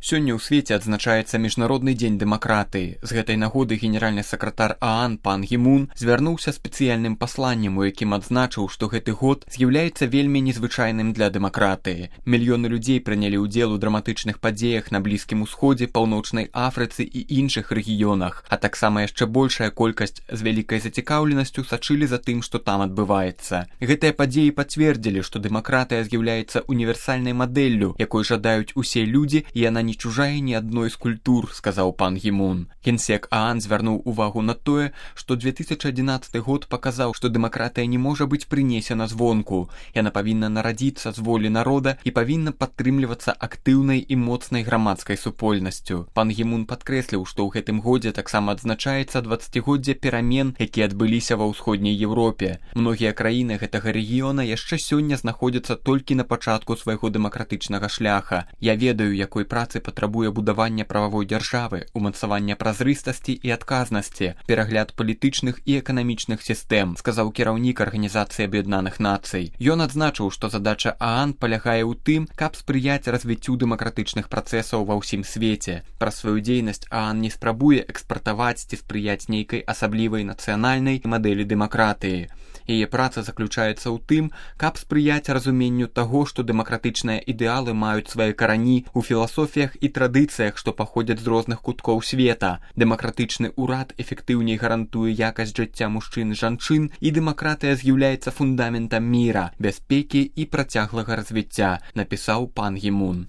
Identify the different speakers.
Speaker 1: Сёння ў свеце адзначаецца міжнародны дзень дэмакратыі. З гэтай нагоды генеральны сакратар ААН пан Гі Мун звярнуўся спецыяльным пасланнем, у якім адзначыў, што гэты год з'яўляецца вельмі незвычайным для дэмакратыі. Мільёны людзей прынялі ўдзел у драматычных падзеях на Блізкім Усходзе, Паўночнай Афрыцы і іншых рэгіёнах, а таксама яшчэ большая колькасць з вялікай зацікаўленасцю сачылі за тым, што там адбываецца. Гэтыя падзеі пацвердзілі, што дэмакратыя з'яўляецца універсальнай мадэллю, якой жадаюць усе людзі, і яна не чужая ні адной з культур, сказаў пан Гі Мун. Генсек ААН звярнуў увагу на тое, што 2011 год паказаў, што дэмакратыя не можа быць прынесена звонку. Яна павінна нарадзіцца з волі народа і павінна падтрымлівацца актыўнай і моцнай грамадскай супольнасцю. Пан Гі Мун падкрэсліў, што ў гэтым годзе таксама адзначаецца 20годдзе перамен, якія адбыліся ва ўсходняй Еўропе. Многія краіны гэтага рэгіёна яшчэ сёння знаходзяцца толькі на пачатку свайго дэмакратычнага шляха. Я ведаю, якой працы патрабуе будавання прававой дзяржавы, умацавання празрыстасці і адказнасці, перагляд палітычных і эканамічных сістэм, сказаў кіраўнік Арганізацыі Аб'яднаных Нацый. Ён адзначыў, што задача ААН палягае ў тым, каб спрыяць развіццю дэмакратычных працэсаў ва ўсім свеце. Праз сваю дзейнасць ААН не спрабуе экспартаваць ці спрыяць нейкай асаблівай нацыянальнай мадэлі дэмакратыі. Яе праца заключаецца ў тым, каб спрыяць разуменню таго, што дэмакратычныя ідэалы маюць свае карані у філасофіях і традыцыях, што паходзяць з розных куткоў света. Дэмакратычны ўрад эфектыўней гарантуе якасць жыцця мужчын і жанчын, і дэмакратыя з'яўляецца фундаментам міра, бяспекі і працяглага развіцця, напісаў пан Гі Мун.